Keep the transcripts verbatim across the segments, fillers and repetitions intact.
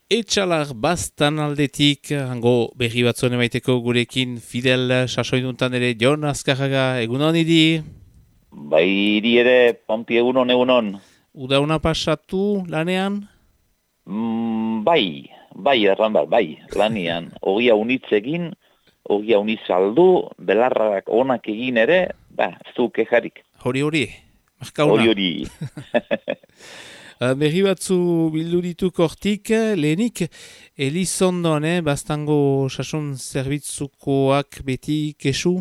Etxalar bastan aldetik, hango berri batzuen emaiteko gurekin Fidel sasoinuntan ere Jon Azkarraga, egunon idi? Bai, hiri ere, Pompi egunon, egunon. Udauna pasatu lanean? Mm, bai, bai, erran bat, bai, lanian. Ogia unitz egin, ogia unitz aldu, belarrak onak egin ere, ba, zu kejarik. Hori hori, markauna. Hori hori. Berri batzu bildu dituk hortik, lehenik Elizondon, eh, bastango sasun zerbitzukoak beti kesu?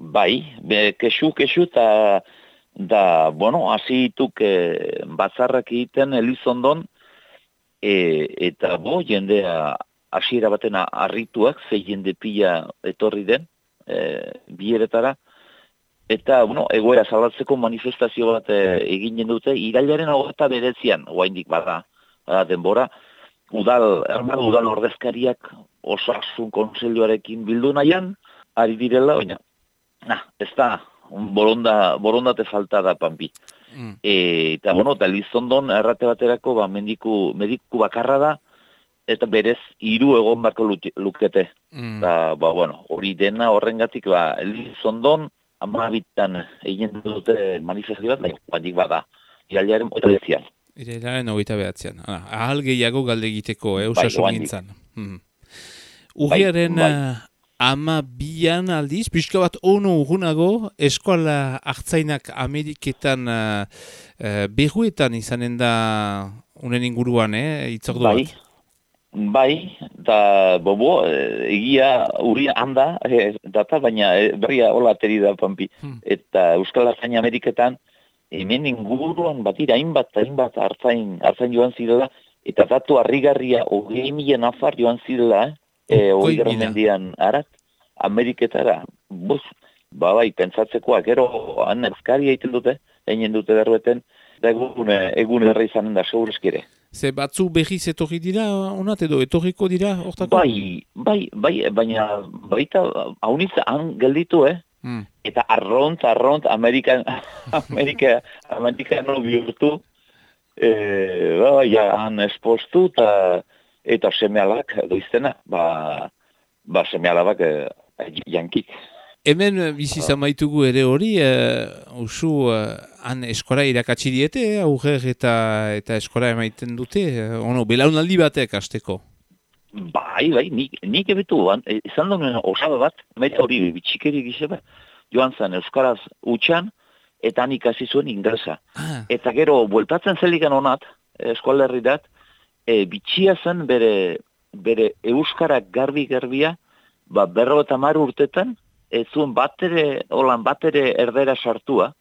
Bai, be, kesu, kesu, eta, da, bueno, hasi dituk e, batzarrak egiten Elizondon, e, eta bo, jendea hasiera baten harrituak, ze jende pila etorri den, e, bieretara, eta, bueno, egoera salatzeko manifestazio bat e, eginen dute, irailaren hogeita beretzian, oraindik bada, bada denbora, udal, ermar, udal ordezkariak osasun kontseiluarekin bildu nahian, ari direla, baina, nah, ez da, boronda, borondate falta da, Pampi. Mm. E, eta, bueno, eta Elizondon errate baterako, ba, mediku, mediku bakarra da, eta berez hiru egon barko lukete. Mm. Eta, ba, bueno, hori dena horrengatik, ba, Elizondon, amabitan egin dute manifestazio bat, nahi, guandik bada, irailaren hogeita behatzian. Irailaren hogeita behatzian. Ah, ahal gehiago galde egiteko, eh, Bai, osasun oandik. gintzan. Mm. Urriaren bai. eh, ama bian aldiz, pixka bat ono urgunago, eskola hartzainak Ameriketan uh, uh, berruetan izanen da unen inguruan, eh, itzordu Bai, bat. bai, eta bobo, eh, egia urria handa, eh, data, baina eh, berria hola ateri da, Pampi. Hmm. Eta Euskal Hartzain Ameriketan, hemen inguruan batira, hainbat, hainbat hartzain, hartzain joan zirela, eta datu harrigarria hogei mila nafar joan zirela, eh, Hogei hogei mila. mendian arat, Ameriketara, buz, ba bai, pentsatzekoa, gero han euskari egiten dute, egin dute derrueten, eta egun, eh, egun erra izanen da, segurezkire. Ze batzu berriz etorri dira, onat edo etorriko dira, hortako? Bai, bai, bai, baina baita haunitz han gelditu, eh? Hmm. Eta arront, arront, Amerikan, Amerika, Amerikano bihurtu, eh, ba, ja, han espostu, eta, eta semealak doiztena, ba, ba semealabak eh, jankik. Hemen eh, bizi zamaitugu ere hori, uh, usu uh, han eskola irakatsi diete, eh, aurrer eta eta eskola emaiten dute, uh, ono, belaunaldi batek hasteko. Bai, bai, nik, nik ebetu, an, e, izan duen osaba bat, meta hori bitxikeri gizeba, joan zen Euskaraz utxan, eta han ikasi zuen inglesa. Ah, Eta gero, bueltatzen zelikan honat, eskualerridat, e, bitxia zen bere, bere Euskarak garbi-garbia, ba, berro eta mar urtetan, ez zuen batere, holan batere erdera sartua,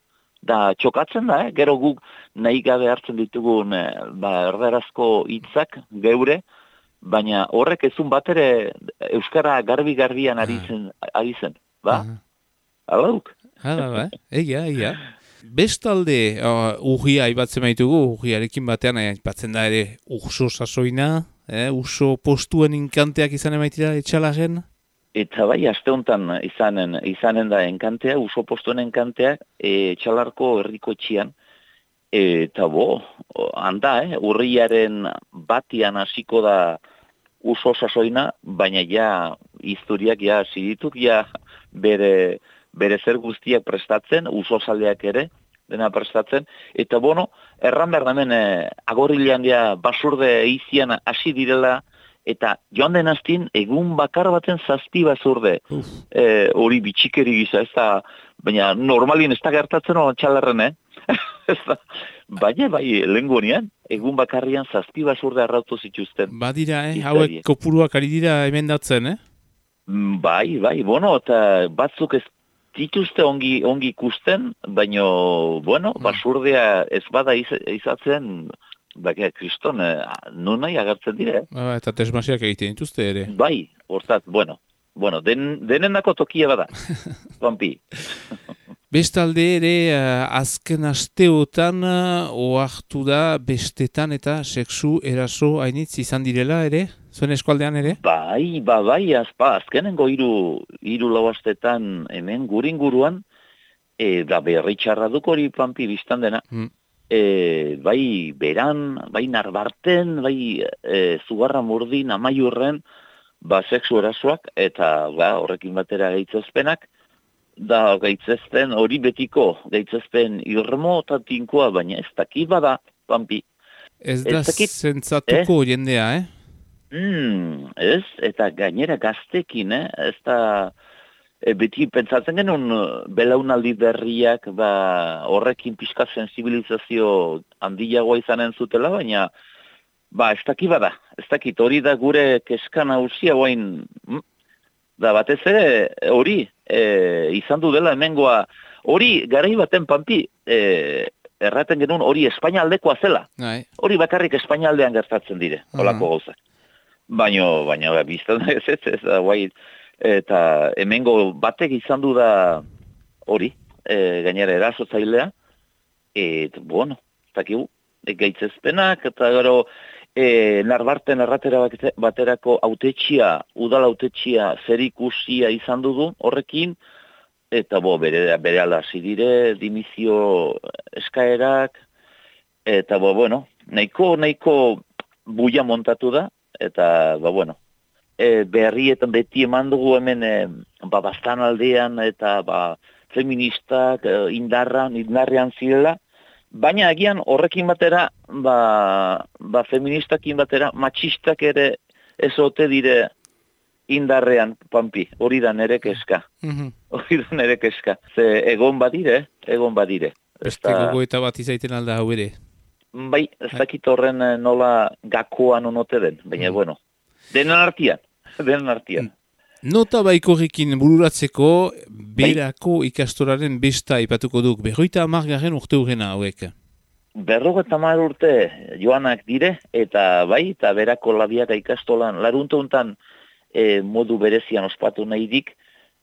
da txokatzen da, eh? Gero guk nahi gabe hartzen ditugun eh, ba, erderazko hitzak geure, baina horrek ezun batere Euskara garbi-garbian ari zen, ari zen, ba? ah. Alauk? Hala, ba, egia, egia. Bestalde, uh, urria aipatzen baitugu, urriarekin batean aipatzen da ere urso sasoina, eh, urso postuen inkanteak izan emaitira etxalaren. Eta bai, aste honetan izanen, izanen da enkantea, uso postuen enkanteak, e, txalarko herriko etxian, eta bo, handa, eh, urriaren batian hasiko da uso sasoina, baina ja, historiak ja hasi dituk, ja bere, bere zer guztiak prestatzen, uso zaldeak ere, dena prestatzen, eta bono, erran behar damen, eh, agorrilean ja basurde eizian hasi direla, eta joan den hastin, egun bakar baten zazpi bazurde, Uf. e, hori bitxikeri gisa, ez da, baina normalien ez da gertatzen hori txalarren, eh? Ez da, baina bai, lehengunean, egun bakarrian zazpi bazurde arrautu zituzten. Badira, eh, Izari. hauek kopuruak ari dira emendatzen, eh? Mm, Bai, bai, bueno, eta batzuk ez dituzte ongi, ongi ikusten, baina, bueno, basurdea ez bada iz, izatzen, bakia, kriston, eh, nun nahi agertzen dire, eh? Ba, eta tesmasiak egiten dituzte ere. Bai, hortaz, bueno, bueno, den, denenako tokia bada, Pampi. Bestalde ere, uh, azken asteotan uh, ohartu da bestetan eta sexu eraso hainitz izan direla ere, zuen eskualdean ere? Bai, ba, bai, azpa, azkenengo hiru hiru lau astetan hemen guringuruan, e, da berri txarra duk hori, Pampi, biztan dena. Hmm. e, bai beran, bai narbarten, bai e, zugarra murdin, amaiurren, ba, sexu erasoak, eta ba, horrekin batera gaitzezpenak, da gaitzezpen hori betiko, gaitzezpen irmo eta tinkoa, baina ez daki bada, Pampi. Ez da zentzatuko eh? jendea, eh? Mm, ez, eta gainera gaztekin, eh? Ez da, e, beti pentsatzen genuen belaunaldi berriak ba, horrekin pixka sensibilizazio handiagoa izanen zutela, baina ba, ez daki bada, ez dakit, hori da gure keska nagusia guain, mm? Da batez ere hori e, izan du dela hemengoa, hori garai baten Pampi, e, erraten genuen hori Espainia aldekoa zela. Ai. Hori bakarrik Espainia aldean gertatzen dire, holako uh -huh. gauzak. Baina, baina, biztan da ez ez, ez da, guai, eta hemengo batek izan du da hori, e, gainera erasotzailea, eta, bueno, ez dakigu, e, gaitzezpenak, eta gero, e, narbarten erratera baterako autetxia, udal autetxia zer ikusia izan dugu horrekin, eta bo, bere, bere alasi dire, dimizio eskaerak, eta bo, bueno, nahiko, nahiko buia montatu da, eta, ba, bueno, e, berrietan beti eman dugu hemen, e, ba, bastan aldean, eta, ba, feministak e, indarran, indarrean zirela, baina agian horrekin batera, ba, ba feministakin batera, matxistak ere ez ote dire indarrean, Pampi, hori da nere keska. Mm-hmm. Hori da nere keska. Ze egon badire, egon badire. Beste gogoeta bat izaiten alda hau ere. Bai, ez dakit horren nola gakoan onote den, baina, mm. bueno, denen artian, denen artian. Mm. Nota baikorrekin bururatzeko, berako ikastoraren besta ipatuko duk, berroita amargarren urte urrena hauek. Berrogeita hamar urte joanak dire, eta bai, eta berako labiaka ikastolan, larunte honetan e, modu berezian ospatu nahi dik,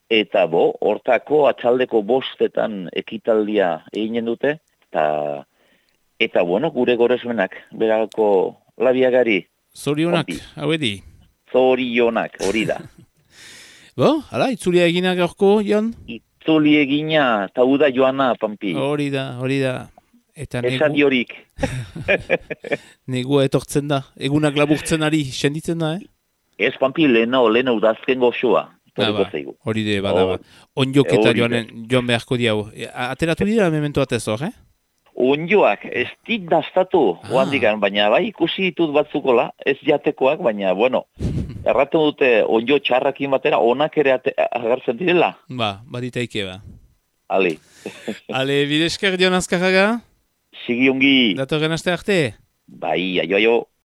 eta bo, hortako atxaldeko bostetan ekitaldia eginen dute, eta, eta bueno, gure goresmenak, berako labiagari. Zorionak, hau edi? Zorionak, hori da. Bo, hala, itzulia egina gaurko, Jon? Itzuli egina, eta uda joana, Pampi. Hori da, hori da. Eta negu... Esadi horik. Negua etortzen da, egunak laburtzen ari, senditzen da, eh? Ez, Pampi, lehena, lehena udazken goxoa. Ah, ba, hori de, bada, ba. Onjok eta joan, joan beharko diau. Ateratu dira, memento atez hor, eh? Onjoak, ez dit daztatu, ah. Oandikan, baina bai, ikusi ditut batzukola, ez jatekoak, baina, bueno, erraten dute onjo txarrakin batera, onak ere agertzen direla. Ba, baditaike, ba. Ale. Ale, bidesker Jon Azkarraga? Sigi ongi. Datorren aste arte? Bai, aio, aio.